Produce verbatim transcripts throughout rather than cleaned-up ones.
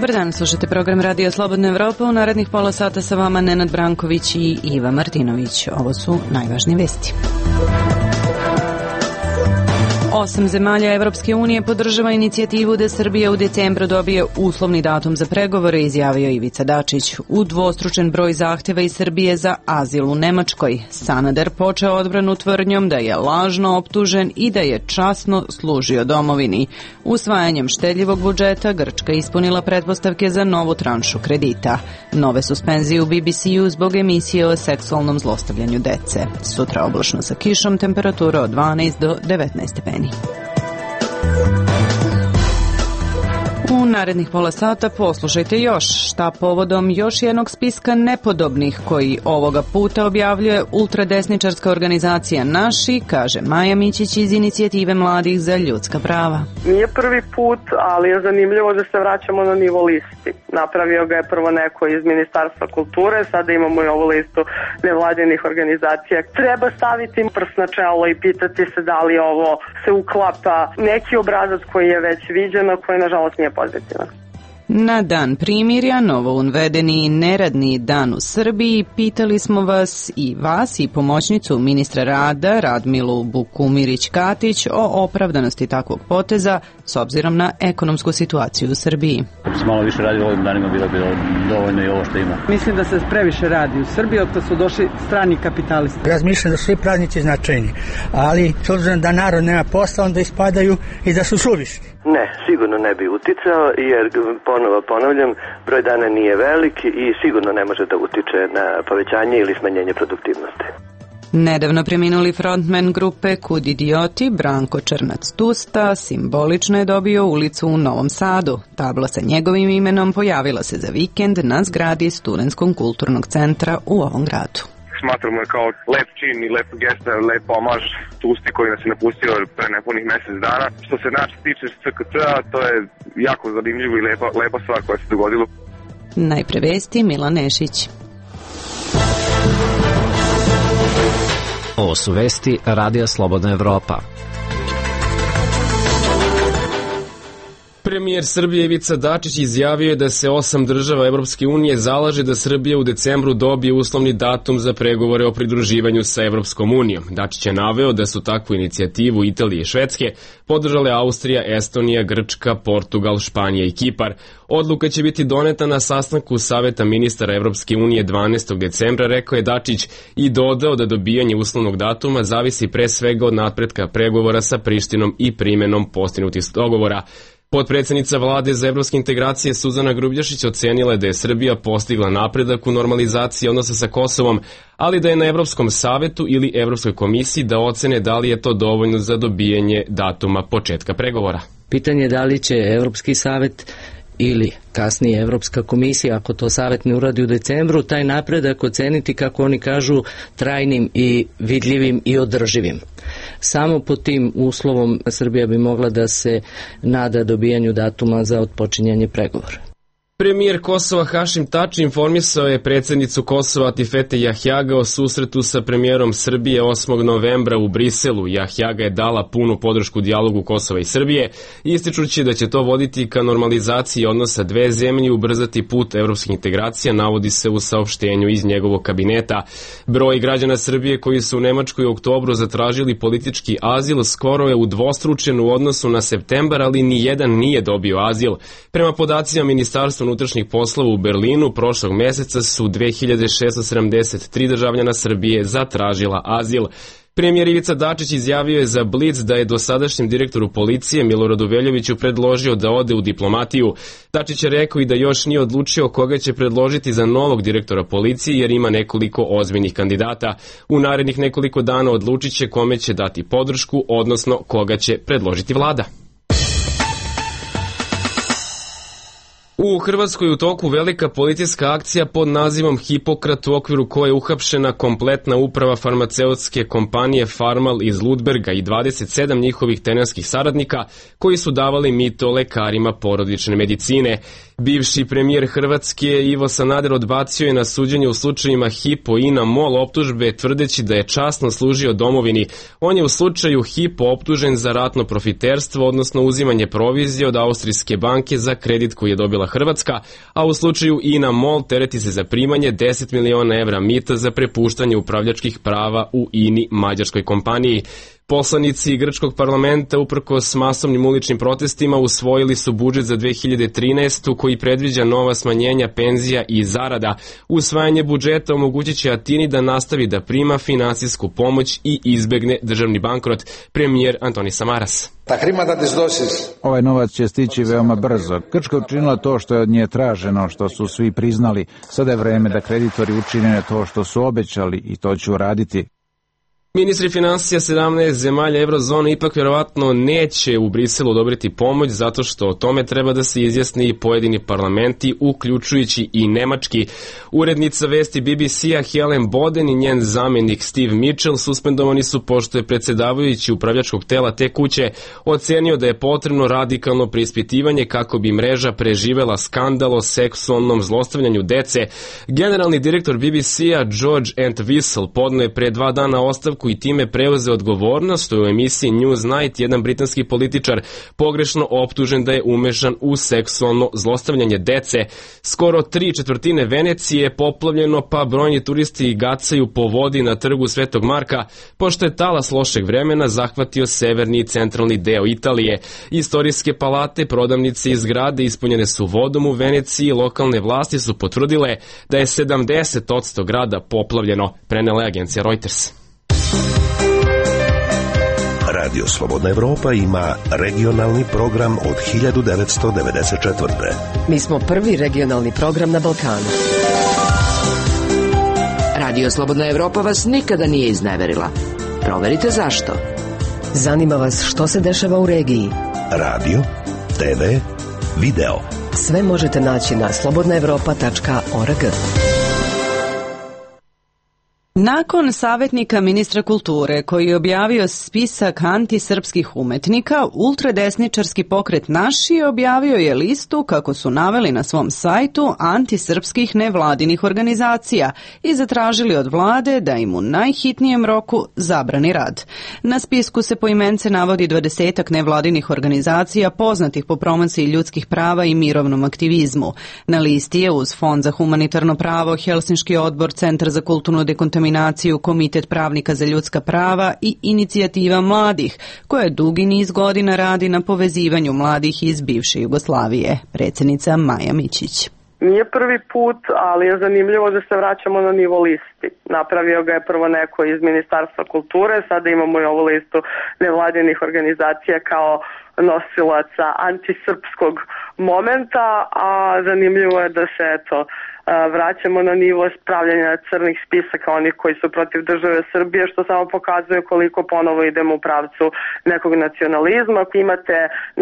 Dobar dan, slušate program Radio Slobodna Evropa. U narednih pola sata sa vama Nenad Branković i Iva Martinović. Ovo su najvažnije vesti. Osam zemalja Evropske unije podržava inicijativu da Srbija u decembru dobije uslovni datum za pregovore, izjavio Ivica Dačić. Udvostručen broj zahtjeva iz Srbije za azil u Nemačkoj. Sanader počeo odbranu tvrdnjom da je lažno optužen i da je časno služio domovini. Usvajanjem štedljivog budžeta Grčka ispunila pretpostavke za novu tranšu kredita. Nove suspenzije u B B C-u zbog emisije o seksualnom zlostavljanju dece. Sutra oblačno sa kišom, temperatura od dvanaest do devetnaest stepeni. U narednih pola sata poslušajte još šta povodom još jednog spiska nepodobnih koji ovoga puta objavljuje ultradesničarska organizacija Naši, kaže Maja Mićić iz inicijative mladih za ljudska prava. Nije prvi put, ali je zanimljivo da se vraćamo na nivo listi. Napravio ga je prvo neko iz Ministarstva kulture, sada imamo i ovu listu nevladinih organizacija. Treba staviti prst na čelo i pitati se da li ovo se uklapa neki obrazac koji je već viđen, a koji nažalost nije pozitivan. Na dan primirja, novo uvedeni neradni dan u Srbiji, pitali smo vas i vas i pomoćnicu ministra rada Radmilu Bukumirić-Katić o opravdanosti takvog poteza s obzirom na ekonomsku situaciju u Srbiji. Ako se malo više radi ovim danima, bilo bi dovoljno i ovo što ima. Mislim da se previše radi u Srbiji, od kad su došli strani kapitalisti. Razmišljam da su svi praznici značajni, ali s obzirom da narod nema posla, onda ispadaju i da su suvišni. Ne, sigurno ne bi uticao, jer ponovo ponavljam, broj dana nije velik i sigurno ne može da utiče na povećanje ili smanjenje produktivnosti. Nedavno preminuli frontman grupe Kud idioti, Branko Črnac-Tusta, simbolično je dobio ulicu u Novom Sadu. Tabla sa njegovim imenom pojavila se za vikend na zgradi Studentskog kulturnog centra u ovom gradu. Smatramo je kao lep čin i lep gesta, lep omaž Tusti koji nas je napustio pre nepunih mesec dana. Što se nas tiče S K C-a, to je jako zanimljivo i lepa, lepa stvar koja se dogodila. Najpre vesti, Milan Nešić. Ovo su vesti Radija Slobodna Evropa. Premijer Srbije Ivica Dačić izjavio je da se osam država Evropske unije zalaže da Srbija u decembru dobije uslovni datum za pregovore o pridruživanju sa Evropskom unijom. Dačić je naveo da su takvu inicijativu Italije i Švedske podržale Austrija, Estonija, Grčka, Portugal, Španija i Kipar. Odluka će biti doneta na sastanku Saveta ministara Evropske unije dvanaestog decembra, rekao je Dačić, i dodao da dobijanje uslovnog datuma zavisi pre svega od napretka pregovora sa Prištinom i primenom postignutih dogovora. Potpredsednica vlade za evropske integracije Suzana Grubljašić ocenila je da je Srbija postigla napredak u normalizaciji odnosa sa Kosovom, ali da je na Evropskom savetu ili Evropskoj komisiji da ocene da li je to dovoljno za dobijanje datuma početka pregovora. Pitanje je da li će Evropski savet ili kasnije Evropska komisija, ako to savet ne uradi u decembru, taj napredak oceniti, kako oni kažu, trajnim i vidljivim i održivim. Samo pod tim uslovom Srbija bi mogla da se nada dobijanju datuma za otpočinjanje pregovora. Premijer Kosova Hašim Tači informisao je predsjednicu Kosova Atifete Jahjaga o susretu sa premijerom Srbije osmog novembra u Briselu. Jahjaga je dala punu podršku dijalogu Kosova i Srbije, ističući da će to voditi ka normalizaciji odnosa dve zemlje i ubrzati put evropskih integracija, navodi se u saopštenju iz njegovog kabineta. Broj građana Srbije koji su u Nemačkoj u oktobru zatražili politički azil skoro je udvostručen u odnosu na septembar, ali ni jedan nije dobio azil. Prema podacima Ministarstva unutrašnjih poslova u Berlinu prošlog meseca su dve hiljade šesto sedamdeset tri državljana Srbije zatražila azil. Premijer Ivica Dačić izjavio je za Blic da je dosadašnjem direktoru policije Miloradu Veljoviću predložio da ode u diplomatiju. Dačić je rekao i da još nije odlučio koga će predložiti za novog direktora policije jer ima nekoliko ozbiljnih kandidata. U narednih nekoliko dana odlučit će kome će dati podršku, odnosno koga će predložiti vlada. U Hrvatskoj u toku velika policijska akcija pod nazivom Hipokrat, u okviru koje je uhapšena kompletna uprava farmaceutske kompanije Farmal iz Ludberga i dvadeset sedam njihovih tenanskih saradnika koji su davali mito lekarima porodične medicine. Bivši premijer Hrvatske Ivo Sanader odbacio je na suđenje u slučajima Hypo, INA, MOL optužbe tvrdeći da je časno služio domovini. On je u slučaju Hypo optužen za ratno profiterstvo, odnosno uzimanje provizije od austrijske banke za kredit koji je dobila Hrvatska, a u slučaju INA MOL tereti se za primanje deset miliona evra mita za prepuštanje upravljačkih prava u INI, mađarskoj kompaniji. Poslanici grčkog parlamenta uprkos masovnim uličnim protestima usvojili su budžet za dve hiljade trinaestu koji predviđa nova smanjenja penzija i zarada. Usvajanje budžeta omogućit će Atini da nastavi da prima finansijsku pomoć i izbegne državni bankrot. Premijer Antonis Samaras. Ovaj novac će stići veoma brzo. Grčka je učinila to što je od nje traženo, što su svi priznali. Sada je vreme da kreditori učine to što su obećali i to će uraditi. Ministri finansija sedamnaest zemalja eurozone ipak vjerovatno neće u Briselu odobriti pomoć zato što o tome treba da se izjasni i pojedini parlamenti, uključujući i nemački. Urednica vesti B B C-a Helen Boden i njen zamjenik Steve Mitchell suspendovani su pošto je predsjedavajući upravljačkog tela te kuće ocenio da je potrebno radikalno preispitivanje kako bi mreža preživela skandal o seksualnom zlostavljanju dece. Generalni direktor B B C-a George Entwistle podno je pre dva dana ostavku i time preuzeo odgovornost, što je u emisiji Newsnight jedan britanski političar pogrešno optužen da je umešan u seksualno zlostavljanje dece. Skoro tri četvrtine Venecije je poplavljeno, pa brojni turisti gacaju po vodi na trgu Svetog Marka, pošto je talas lošeg vremena zahvatio severni i centralni deo Italije. Istorijske palate, prodavnice i zgrade ispunjene su vodom u Veneciji, lokalne vlasti su potvrdile da je sedamdeset posto grada poplavljeno, prenela je agencija Reuters. Radio Slobodna Evropa ima regionalni program od hiljadu devetsto devedeset četvrte. Mi smo prvi regionalni program na Balkanu. Radio Slobodna Evropa vas nikada nije izneverila. Proverite zašto. Zanima vas što se dešava u regiji. Radio, te ve, video. Sve možete naći na slobodna evropa tačka org. Nakon savjetnika ministra kulture koji je objavio spisak antisrpskih umetnika, ultradesničarski pokret Naši objavio je listu, kako su naveli na svom sajtu, antisrpskih nevladinih organizacija i zatražili od vlade da im u najhitnijem roku zabrani rad. Na spisku se poimence navodi dvadesetak nevladinih organizacija poznatih po promociji ljudskih prava i mirovnom aktivizmu. Na listi je uz Fond za humanitarno pravo, Helsinški odbor, Centar za kulturnu dekontaminaciju, Komitet pravnika za ljudska prava i Inicijativa mladih, koja dugi niz godina radi na povezivanju mladih iz bivše Jugoslavije. Predsjednica Maja Mićić. Nije prvi put, ali je zanimljivo da se vraćamo na nivo listi. Napravio ga je prvo neko iz Ministarstva kulture, sada imamo i ovu listu nevladinih organizacija kao nosilaca antisrpskog momenta, a zanimljivo je da se eto vraćamo na nivo spravljanja crnih spisaka onih koji su protiv države Srbije, što samo pokazuje koliko ponovo idemo u pravcu nekog nacionalizma. Imate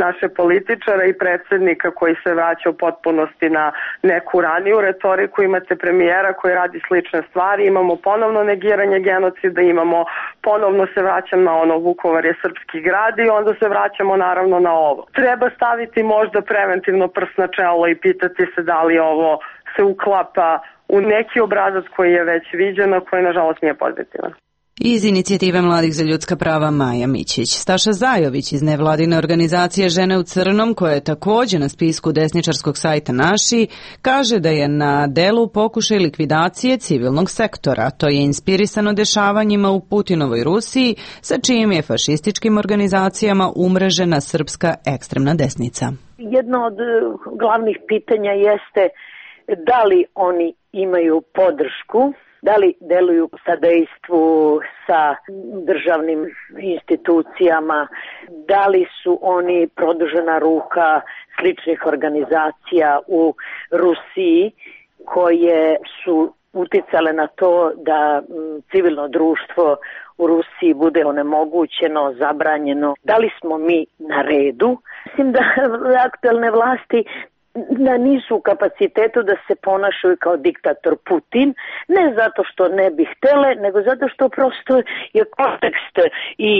naše političare i predsjednika koji se vraća u potpunosti na neku raniju retoriku, imate premijera koji radi slične stvari, imamo ponovno negiranje genocida, imamo ponovno se vraćam na ono Vukovar je srpski grad i onda se vraćamo naravno na ovo. Treba staviti možda preventivno prst na čelo i pitati se da li ovo se uklapa u neki obrazac koji je već viđen, a koji nažalost nije pozitivan. Iz Inicijative mladih za ljudska prava Maja Mićić. Staša Zajović iz nevladine organizacije Žene u crnom, koja je također na spisku desničarskog sajta Naši, kaže da je na delu pokušaj likvidacije civilnog sektora. To je inspirisano dešavanjima u Putinovoj Rusiji, sa čijim je fašističkim organizacijama umrežena srpska ekstremna desnica. Jedno od glavnih pitanja jeste da li oni imaju podršku, da li deluju u sadejstvu sa državnim institucijama, da li su oni produžena ruka sličnih organizacija u Rusiji koje su uticale na to da civilno društvo u Rusiji bude onemogućeno, zabranjeno. Da li smo mi na redu? Mislim da aktuelne vlasti da nisu u kapacitetu da se ponašaju kao diktator Putin, ne zato što ne bi htele, nego zato što prosto je kontekst i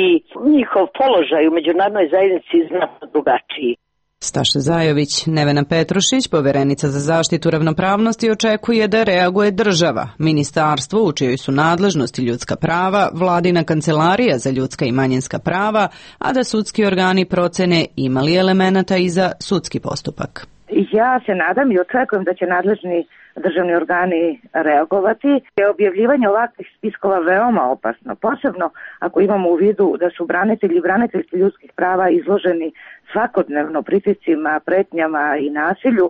njihov položaj u međunarodnoj zajednici znatno drugačiji. Staša Zajović. Nevena Petrušić, poverenica za zaštitu ravnopravnosti, očekuje da reaguje država, ministarstvo u čijoj su nadležnosti ljudska prava, vladina kancelarija za ljudska i manjinska prava, a da sudski organi procene ima li elemenata i za sudski postupak. Ja se nadam i očekujem da će nadležni državni organi reagovati. Objavljivanje ovakvih spiskova veoma opasno, posebno ako imamo u vidu da su branitelji i braniteljski ljudskih prava izloženi svakodnevno pritiscima, pretnjama i nasilju.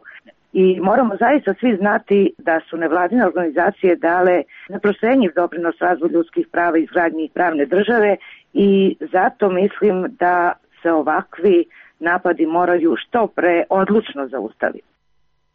I moramo zaista svi znati da su nevladine organizacije dale neprocenjiv doprinos razvoju ljudskih prava i izgradnji pravne države i zato mislim da se ovakvi napadi moraju što pre odlučno zaustaviti.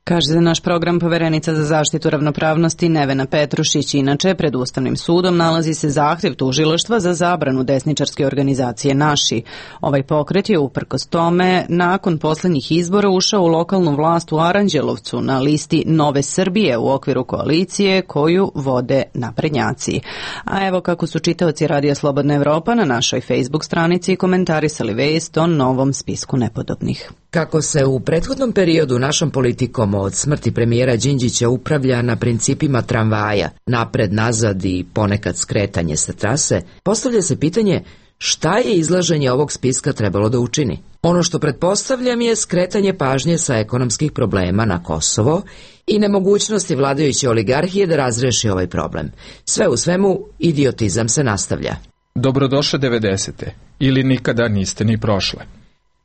Kaže za naš program poverenica za zaštitu ravnopravnosti Nevena Petrušić. Inače, pred Ustavnim sudom nalazi se zahtev tužilaštva za zabranu desničarske organizacije Naši. Ovaj pokret je uprkos tome nakon poslednjih izbora ušao u lokalnu vlast u Aranđelovcu na listi Nove Srbije u okviru koalicije koju vode naprednjaci. A evo kako su čitaoci Radija Slobodna Evropa na našoj Facebook stranici komentarisali vest o novom spisku nepodobnih. Kako se u prethodnom periodu našom politikom od smrti premijera Đinđića upravlja na principima tramvaja, napred, nazad i ponekad skretanje sa trase, postavlja se pitanje šta je izlaženje ovog spiska trebalo da učini. Ono što pretpostavljam je skretanje pažnje sa ekonomskih problema na Kosovo i nemogućnosti vladajuće oligarhije da razreši ovaj problem. Sve u svemu, idiotizam se nastavlja. Dobrodošle devedesete ili nikada niste ni prošle.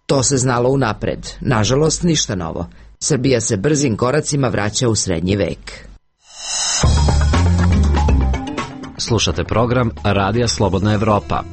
To se znalo unapred. Nažalost, ništa novo. Srbija se brzim koracima vraća u srednji vek. Slušate program Radija Slobodna Evropa.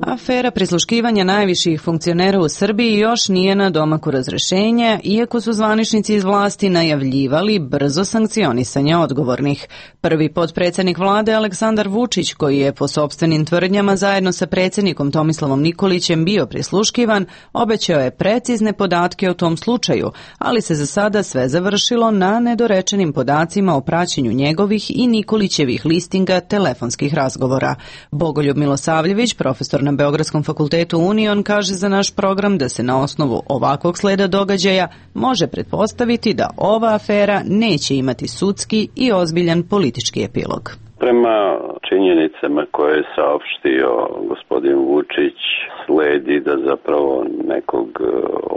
Afera prisluškivanja najviših funkcionera u Srbiji još nije na domaku razrešenja, iako su zvaničnici iz vlasti najavljivali brzo sankcionisanje odgovornih. Prvi potpredsednik vlade Aleksandar Vučić, koji je po sopstvenim tvrdnjama zajedno sa predsjednikom Tomislavom Nikolićem bio prisluškivan, obećao je precizne podatke o tom slučaju, ali se za sada sve završilo na nedorečenim podacima o praćenju njegovih i Nikolićevih listinga telefonskih razgovora. Bogoljub Milosavljević, profesor na Beogradskom fakultetu Union, kaže za naš program da se na osnovu ovakvog sleda događaja može pretpostaviti da ova afera neće imati sudski i ozbiljan politički epilog. Prema činjenicama koje je saopštio gospodin Vučić, sledi da zapravo nekog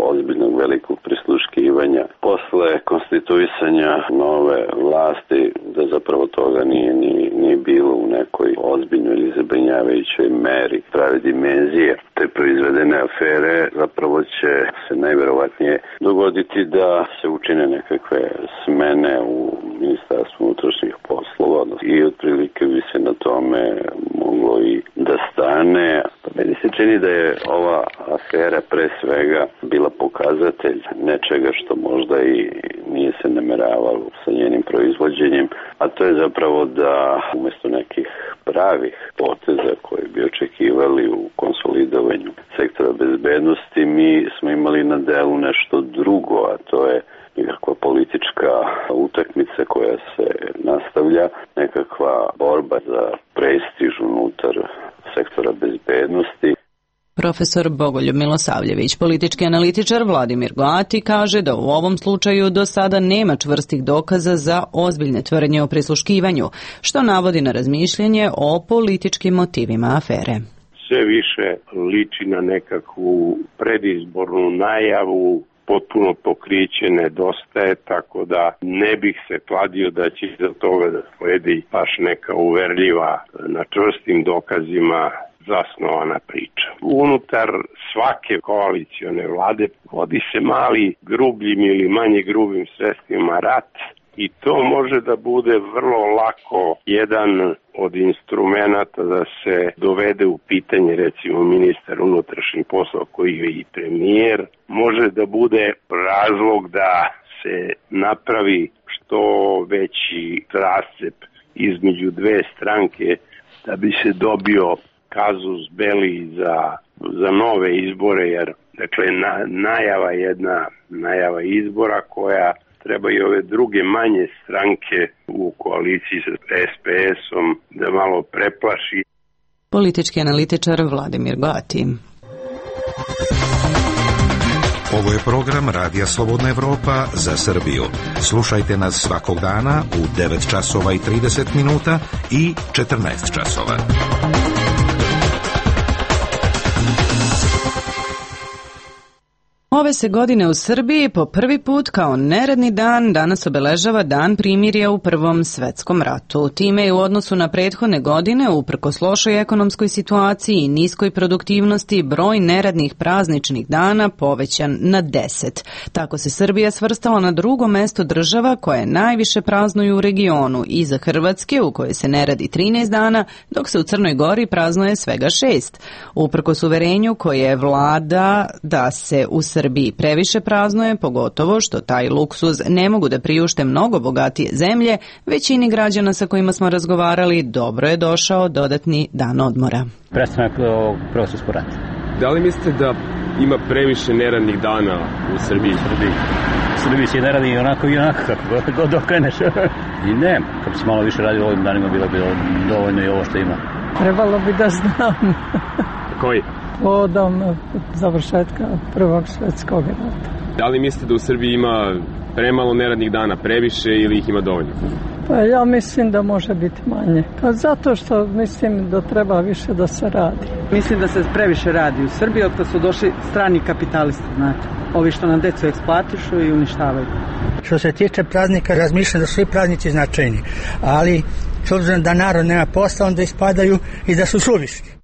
ozbiljnog velikog prisluškivanja posle konstituisanja nove vlasti, da zapravo toga nije ni, ni bilo u nekoj ozbiljnoj ili zabrinjavajućoj meri prave dimenzije te proizvedene afere. Zapravo će se najverovatnije dogoditi da se učine nekakve smene u Ministarstvu unutrašnjih poslova i otprilike bi se na tome moglo i da stane. Pa meni se čini da je ova afera pre svega bila pokazatelj nečega što možda i nije se nameravalo sa njenim proizvođenjem, a to je zapravo da umjesto nekih pravih poteza koje bi očekivali u konsolidovanju sektora bezbednosti, mi smo imali na delu nešto drugo, a to je nekakva politička utakmica koja se nastavlja, nekakva borba za prestiž unutar sektora bezbednosti. Profesor Bogoljub Milosavljević, politički analitičar Vladimir Goati, kaže da u ovom slučaju do sada nema čvrstih dokaza za ozbiljne tvrdnje o prisluškivanju, što navodi na razmišljanje o političkim motivima afere. Sve više liči na nekakvu predizbornu najavu, potpuno pokriće nedostaje, tako da ne bih se kladio da će za toga da sledi baš neka uverljiva, na čvrstim dokazima zasnovana priča. Unutar svake koalicione vlade vodi se mali grubljim ili manje grubim sredstvima rat i to može da bude vrlo lako jedan od instrumenta da se dovede u pitanje, recimo ministar unutrašnjih poslova koji je i premijer, može da bude razlog da se napravi što veći rascep između dve stranke da bi se dobio kazus belli za, za nove izbore, jer dakle na, najava jedna najava izbora koja treba i ove druge manje stranke u koaliciji sa es pe esom da malo preplaši. Politički analitičar Vladimir Goati. Ovo je program Radija Slobodna Evropa za Srbiju. Slušajte nas svakog dana u devet časova i trideset minuta i četrnaest časova. Ove se godine u Srbiji po prvi put kao neradni dan danas obeležava Dan primirja u Prvom svetskom ratu. Time je u odnosu na prethodne godine, uprkos lošoj ekonomskoj situaciji i niskoj produktivnosti, broj neradnih prazničnih dana povećan na deset. Tako se Srbija svrstala na drugo mesto država koje najviše praznuju u regionu, iza Hrvatske u kojoj se ne radi trinaest dana, dok se u Crnoj Gori praznuje svega šest. Uprkos uverenju koje vlada da se u Srbiji Srbiji previše praznuje, pogotovo što taj luksuz ne mogu da priušte mnogo bogatije zemlje, većini građana sa kojima smo razgovarali dobro je došao dodatni dan odmora. Prestanak ovog Prvog svjetskog rata. Da li mislite da ima previše neradnih dana u Srbiji? Srbiji. U Srbiji se ne radi i onako i onako, kako god okreneš. I ne, kad bi se malo više radio ovim danima, bilo bi dovoljno i ovo što ima. Trebalo bi da znam. Koji? Povodom završetka Prvog svjetskog rata. Da li mislite da u Srbiji ima premalo neradnih dana, previše ili ih ima dovoljno? Pa ja mislim da može biti manje. Pa zato što mislim da treba više da se radi. Mislim da se previše radi u Srbiji, od kad su došli strani kapitalisti, znate. Ovi što nam decu eksploatišu i uništavaju. Što se tiče praznika, razmišljam da su svi praznici značajni, ali s obzirom da narod nema posla, onda ispadaju i da su suvišni.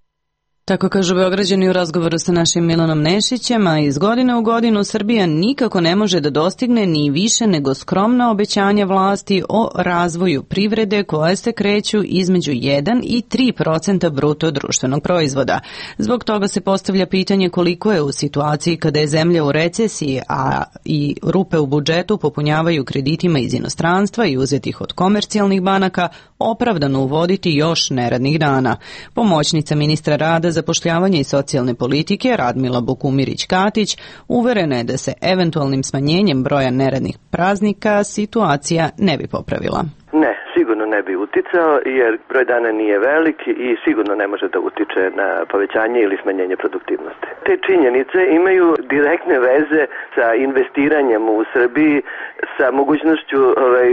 Tako kažu Beograđani u razgovoru sa našim Milanom Nešićem, a iz godine u godinu Srbija nikako ne može da dostigne ni više nego skromna obećanja vlasti o razvoju privrede koje se kreću između jedan i tri procenta bruto društvenog proizvoda. Zbog toga se postavlja pitanje koliko je u situaciji kada je zemlja u recesiji, a i rupe u budžetu popunjavaju kreditima iz inostranstva i uzetih od komercijalnih banaka, opravdano uvoditi još neradnih dana. Pomoćnica ministra rada, zapošljavanja i socijalne politike Radmila Bukumirić-Katić uverena je da se eventualnim smanjenjem broja neradnih praznika situacija ne bi popravila. Ne, sigurno ne bi uticao jer broj dana nije velik i sigurno ne može da utiče na povećanje ili smanjenje produktivnosti. Te činjenice imaju direktne veze sa investiranjem u Srbiji, sa mogućnošću ovaj,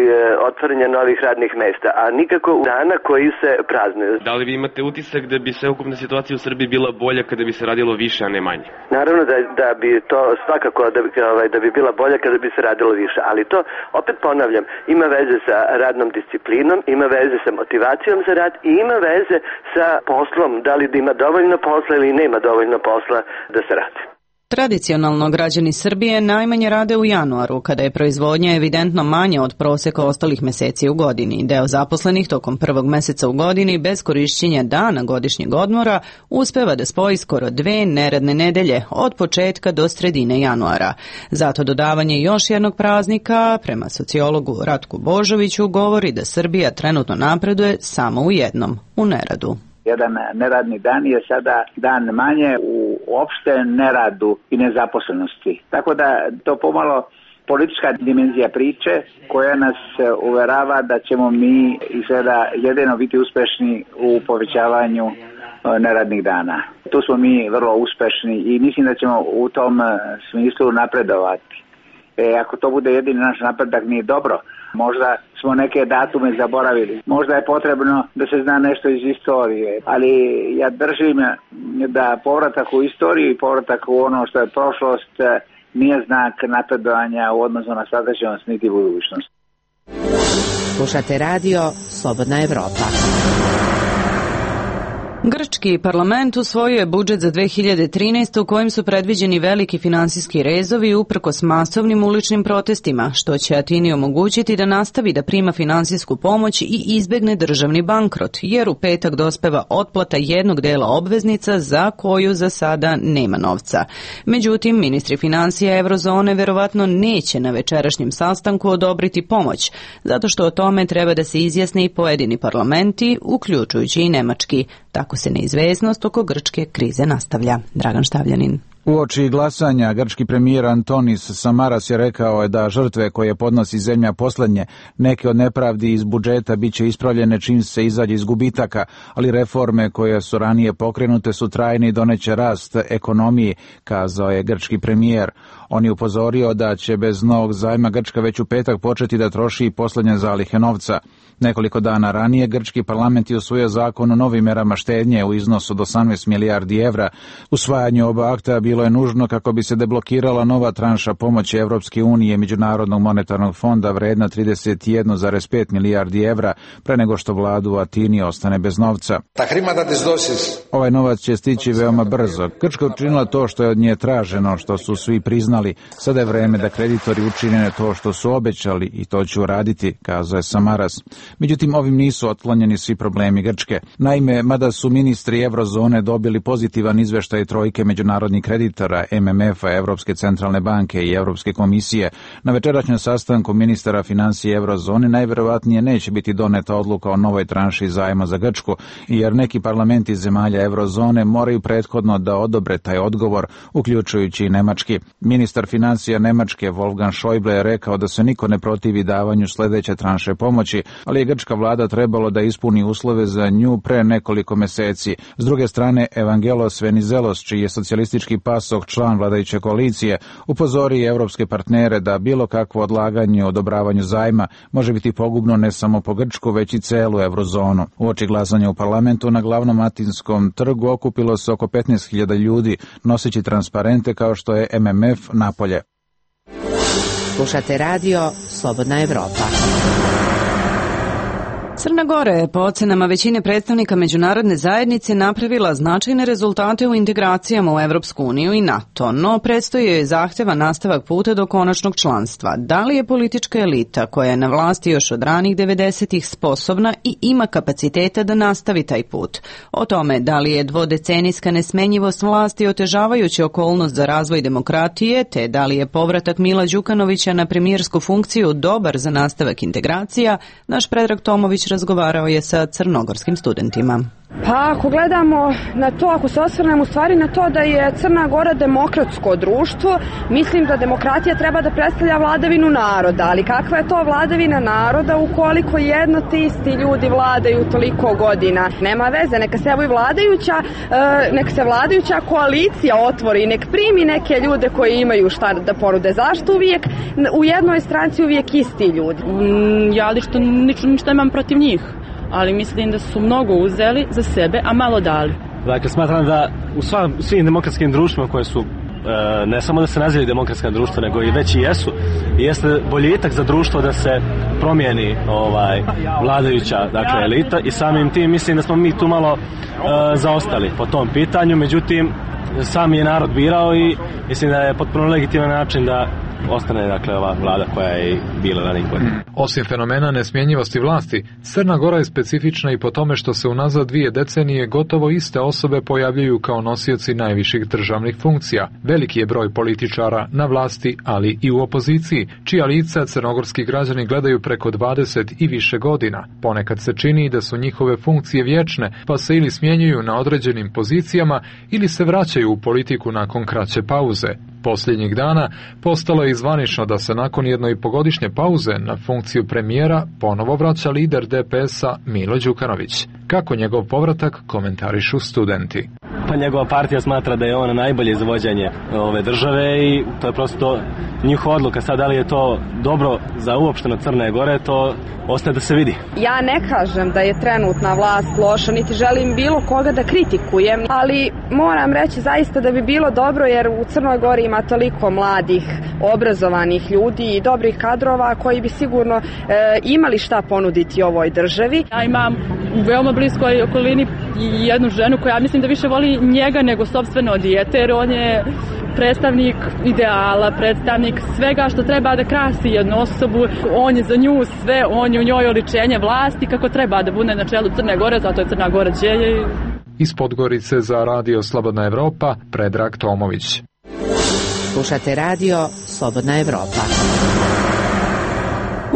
otvaranja novih radnih mesta, a nikako dana koji se praznuju. Da li vi imate utisak da bi sveukupna situacija u Srbiji bila bolja kada bi se radilo više, a ne manje? Naravno da, da bi to svakako da bi, ovaj, da bi bila bolja kada bi se radilo više, ali to, opet ponavljam, ima veze sa radnom disciplinom, ima veze sa motivacijom za rad i ima veze sa poslom, da li da ima dovoljno posla ili nema dovoljno posla da se radi. Tradicionalno građani Srbije najmanje rade u januaru, kada je proizvodnja evidentno manja od proseka ostalih meseci u godini. Deo zaposlenih tokom prvog meseca u godini bez korišćenja dana godišnjeg odmora uspeva da spoji skoro dve neradne nedelje od početka do sredine januara. Zato dodavanje još jednog praznika, prema sociologu Ratku Božoviću, govori da Srbija trenutno napreduje samo u jednom, u neradu. Jedan neradni dan je sada dan manje u opšte neradu i nezaposlenosti. Tako da to pomalo politička dimenzija priče koja nas uverava da ćemo mi izgleda jedino biti uspešni u povećavanju neradnih dana. Tu smo mi vrlo uspešni i mislim da ćemo u tom smislu napredovati. E, ako to bude jedini naš napredak nije dobro. Možda smo neke datume zaboravili. Možda je potrebno da se zna nešto iz istorije. Ali ja držim da povratak u istoriju i povratak u ono što je prošlost nije znak napredovanja u odnosu na sadašnjost niti budućnost. Slušate radio Slobodna Evropa. Grčki parlament usvojio je budžet za dve hiljade trinaestu. u kojem su predviđeni veliki finansijski rezovi uprkos masovnim uličnim protestima, što će Atini omogućiti da nastavi da prima finansijsku pomoć i izbegne državni bankrot, jer u petak dospeva otplata jednog dela obveznica za koju za sada nema novca. Međutim, ministri finansija Eurozone verovatno neće na večerašnjem sastanku odobriti pomoć, zato što o tome treba da se izjasne i pojedini parlamenti, uključujući i nemački. Tako se neizvesnost oko grčke krize nastavlja. Dragan Štavljanin. Uoči glasanja, grčki premijer Antonis Samaras je rekao je da žrtve koje podnosi zemlja poslednje, neke od nepravdi iz budžeta bit će ispravljene čim se izađe iz gubitaka, ali reforme koje su ranije pokrenute su trajne i doneće rast ekonomiji, kazao je grčki premijer. On je upozorio da će bez novog zajma Grčka već u petak početi da troši poslednje zalihe novca. Nekoliko dana ranije grčki parlament je usvojio zakon o novim merama štednje u iznosu od osamnaest milijardi evra. Usvajanje oba akta bilo je nužno kako bi se deblokirala nova tranša pomoći Evropske unije i Međunarodnog monetarnog fonda vredna trideset jedan zarez pet milijardi evra pre nego što vladu u Atini ostane bez novca. Ovaj novac će stići veoma brzo. Grčka učinila to što je od nje traženo, što su svi priznali. Sada je vreme da kreditori učine to što su obećali i to će uraditi, kazao je Samaras. Međutim, ovim nisu otklonjeni svi problemi Grčke. Naime, mada su ministri Eurozone dobili pozitivan izveštaj trojke međunarodnih kreditora, M M F-a, Evropske centralne banke i Evropske komisije, na večerašnjem sastanku ministara financije Eurozone najverovatnije neće biti doneta odluka o novoj tranši zajma za Grčku, jer neki parlamenti zemalja Eurozone moraju prethodno da odobre taj odgovor, uključujući i nemački. Ministar financija Nemačke Wolfgang Schäuble je rekao da se niko ne protivi davanju sledeće tranše pomoći, ali je grčka vlada trebalo da ispuni uslove za nju pre nekoliko meseci. S druge strane, Evangelos Venizelos, čiji je socijalistički pasok član vladajuće koalicije, upozori evropske partnere da bilo kakvo odlaganje u odobravanju zajma može biti pogubno ne samo po Grčku, već i celu eurozonu. Uoči glasanja u parlamentu na glavnom Atinskom trgu okupilo se oko petnaest hiljada ljudi, noseći transparente kao što je M M F napolje. Slušate radio Slobodna Evropa. Crna Gora je po ocenama većine predstavnika međunarodne zajednice napravila značajne rezultate u integracijama u Evropsku uniju i NATO, no predstoji joj zahteva nastavak puta do konačnog članstva. Da li je politička elita koja je na vlasti još od ranih devedesetih sposobna i ima kapaciteta da nastavi taj put? O tome da li je dvodecenijska nesmenjivost vlasti otežavajuća okolnost za razvoj demokratije, te da li je povratak Mila Đukanovića na premijersku funkciju dobar za nastavak integracija, naš Predrag Tomović razgovarao je sa crnogorskim studentima. Pa ako gledamo na to, ako se osvrnemo u stvari na to da je Crna Gora demokratsko društvo, mislim da demokratija treba da predstavlja vladavinu naroda, ali kakva je to vladavina naroda ukoliko jedno te isti ljudi vladaju toliko godina? Nema veze, neka se evo i vladajuća, neka se vladajuća koalicija otvori, nek primi neke ljude koji imaju šta da ponude. Zašto uvijek u jednoj stranci uvijek isti ljudi? Ja lično ništa nemam protiv njih, ali mislim da su mnogo uzeli za sebe, a malo dali. Dakle, smatram da u sva, svim demokratskim društvima koje su, e, ne samo da se nazivaju demokratska društva, nego i već i jesu, jeste boljitak za društvo da se promijeni ovaj, vladajuća dakle, elita i samim tim mislim da smo mi tu malo e, zaostali po tom pitanju, međutim, sam je narod birao i mislim da je potpuno legitiman način da ostane dakle ova vlada koja je bila ranijih godina. Osim fenomena nesmjenjivosti vlasti, Crna Gora je specifična i po tome što se unazad dvije decenije gotovo iste osobe pojavljuju kao nosioci najviših državnih funkcija. Veliki je broj političara na vlasti, ali i u opoziciji, čija lica crnogorski građani gledaju preko dvadeset i više godina. Ponekad se čini da su njihove funkcije vječne, pa se ili smjenjuju na određenim pozicijama ili se vraćaju u politiku nakon kraće pauze. Posljednjih dana postalo je zvanično da se nakon jednoipogodišnje pauze na funkciju premijera ponovo vraća lider D P S-a Milo Đukanović. Kako njegov povratak komentarišu studenti. Pa njegova partija smatra da je on najbolje za vođenje ove države i to je prosto njihova odluka. Sad da li je to dobro za uopšteno Crne Gore, to ostaje da se vidi. Ja ne kažem da je trenutna vlast loša, niti želim bilo koga da kritikujem, ali moram reći zaista da bi bilo dobro jer u Crnoj Gori ima toliko mladih, obrazovanih ljudi i dobrih kadrova koji bi sigurno e, imali šta ponuditi ovoj državi. Ja imam u veoma bliskoj okolini jednu ženu koja mislim da više voli njega nego sopstveno dijete, jer on je predstavnik ideala, predstavnik svega što treba da krasi jednu osobu. On je za nju sve, on je u njoj oličenje vlasti kako treba da bude na čelu Crne Gore, zato je Crna Gora djelje. Iz Podgorice za radio Slobodna Evropa, Predrag Tomović. Slušate radio Slobodna Evropa.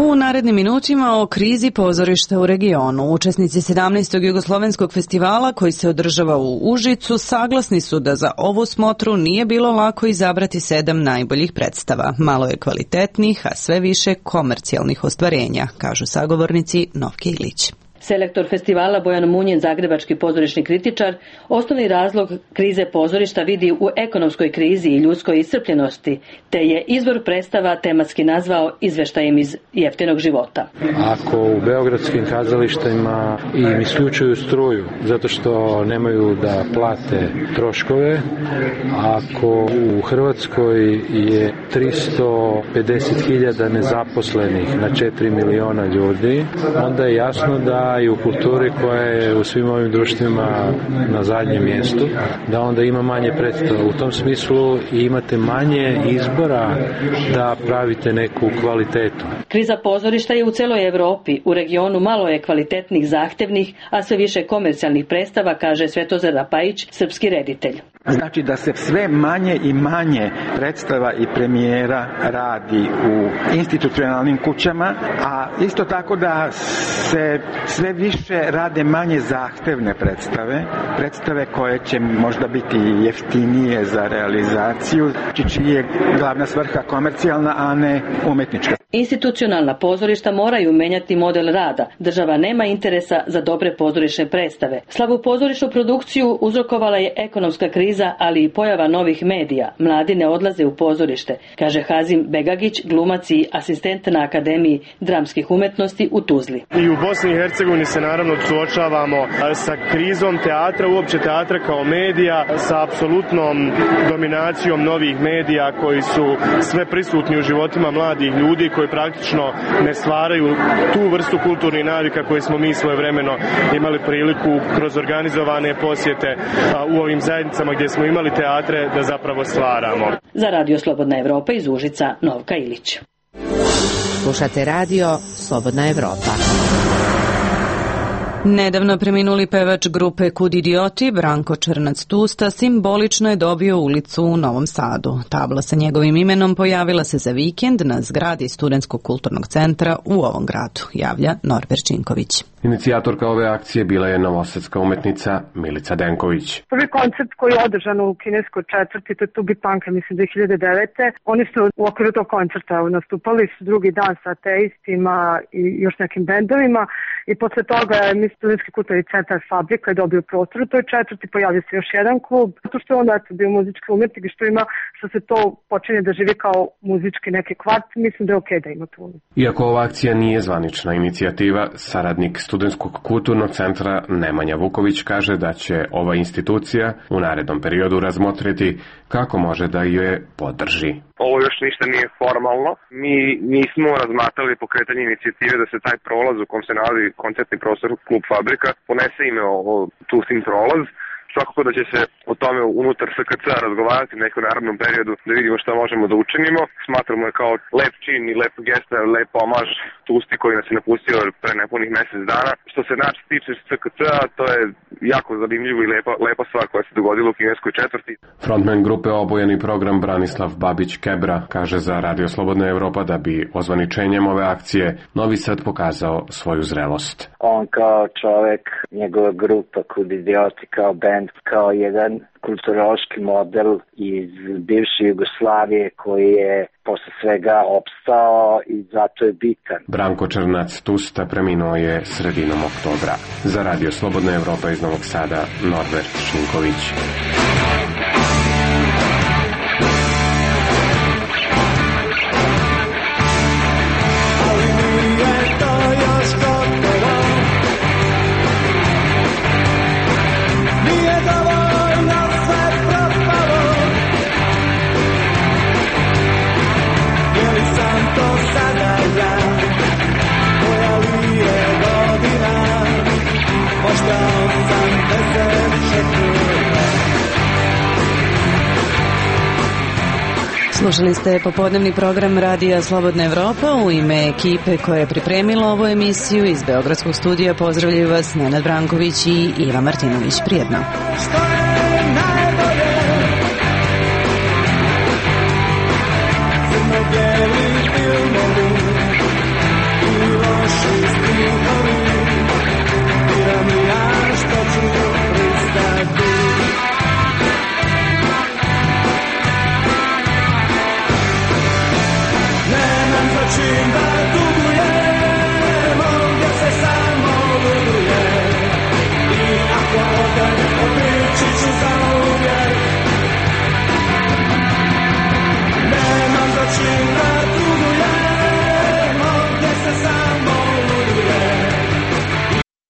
U narednim minutima o krizi pozorišta u regionu. Učesnici sedamnaestog jugoslovenskog festivala koji se održava u Užicu saglasni su da za ovu smotru nije bilo lako izabrati sedam najboljih predstava. Malo je kvalitetnih, a sve više komercijalnih ostvarenja, kažu sagovornici Novke Ilić. Selektor festivala Bojan Munjin, zagrebački pozorišni kritičar, osnovni razlog krize pozorišta vidi u ekonomskoj krizi i ljudskoj iscrpljenosti, te je izvor predstava tematski nazvao izveštajem iz jeftinog života. Ako u beogradskim kazalištima im isključuju struju zato što nemaju da plate troškove, ako u Hrvatskoj je tristo pedeset hiljada nezaposlenih na četiri miliona ljudi, onda je jasno da i u kulturi koja je u svim ovim društvima na zadnjem mjestu, da onda ima manje predstava. U tom smislu imate manje izbora da pravite neku kvalitetu. Kriza pozorišta je u celoj Evropi. U regionu malo je kvalitetnih, zahtevnih, a sve više komercijalnih predstava, kaže Svetozar Rapajić, srpski reditelj. Znači da se sve manje i manje predstava i premijera radi u institucionalnim kućama, a isto tako da se sve više rade manje zahtevne predstave, predstave koje će možda biti jeftinije za realizaciju, čiji je glavna svrha komercijalna, a ne umetnička. Institucionalna pozorišta moraju menjati model rada. Država nema interesa za dobre pozorišne predstave. Slabu pozorišnu produkciju uzrokovala je ekonomska kriza, ali i pojava novih medija. Mladi ne odlaze u pozorište, kaže Hazim Begagić, glumac i asistent na Akademiji dramskih umetnosti u Tuzli. I u Bosni i Hercegovini se naravno suočavamo sa krizom teatra, uopće teatra kao medija, sa apsolutnom dominacijom novih medija koji su sve prisutni u životima mladih ljudi, koji praktično ne stvaraju tu vrstu kulturnih navika koje smo mi svojevremeno imali priliku kroz organizovane posjete u ovim zajednicama gdje smo imali teatre da zapravo stvaramo. Za Radio Slobodna Evropa iz Užica, Novka Ilić. Slušate Radio Slobodna Evropa. Nedavno preminuli pevač grupe Kud idioti, Branko Črnac-Tusta, simbolično je dobio ulicu u Novom Sadu. Tabla sa njegovim imenom pojavila se za vikend na zgradi Studentskog kulturnog centra u ovom gradu, javlja Norbert Činković. Inicijatorka ove akcije bila je novosadska umetnica Milica Denković. Prvi koncert koji je održan u kineskoj četvrti, to je Tubi Punk, mislim dve hiljade devete. Oni su u okviru tog koncerta nastupali su drugi dan sa ateistima i još nekim bendovima i posle toga je Studentski kulturni centar Fabrika je dobio prostor u toj četvrti, pojavio se još jedan klub, zato što je onda bio muzički umetnik i što ima, što se to počinje da živi kao muzički neki kvart, mislim da je okej da ima tu. Iako ova akcija nije zvanična inicijativa, saradnik Studentskog kulturnog centra Nemanja Vuković kaže da će ova institucija u narednom periodu razmotriti kako može da je podrži. Ovo još ništa nije formalno. Mi nismo razmatrali pokretanje inicijative da se taj prolaz u kom se nalazi koncertni prostor Klub Fabrika ponese ime o Tustin prolaz. Svakako da će se o tome unutar S K C razgovarati u nekom narodnom periodu da vidimo šta možemo da učinimo. Smatramo je kao lep čin i lep gesta, lep omaž Tusti koji nas je napustio pre nepunih mesec dana. Što se nas tiče S K C, to je jako zanimljivo i lepa, lepa stvar koja se dogodila u kineskoj četvrti. Frontman grupe Obojeni program Branislav Babić-Kebra kaže za Radio Slobodna Evropa da bi ozvaničenjem ove akcije Novi Sad pokazao svoju zrelost. On kao čovek, njegova grupa Kud idioti kao band, kao jedan kulturološki model iz bivše Jugoslavije koji je posle svega opstao i zato je bitan. Branko Črnac-Tusta preminuo je sredinom oktobra. Za Radio Slobodna Evropa iz Novog Sada, Norbert Šinković. Slušali ste popodnevni program Radija Slobodna Evropa. U ime ekipe koja je pripremila ovu emisiju iz Beogradskog studija pozdravljaju vas Nenad Branković i Iva Martinović. Prijetno.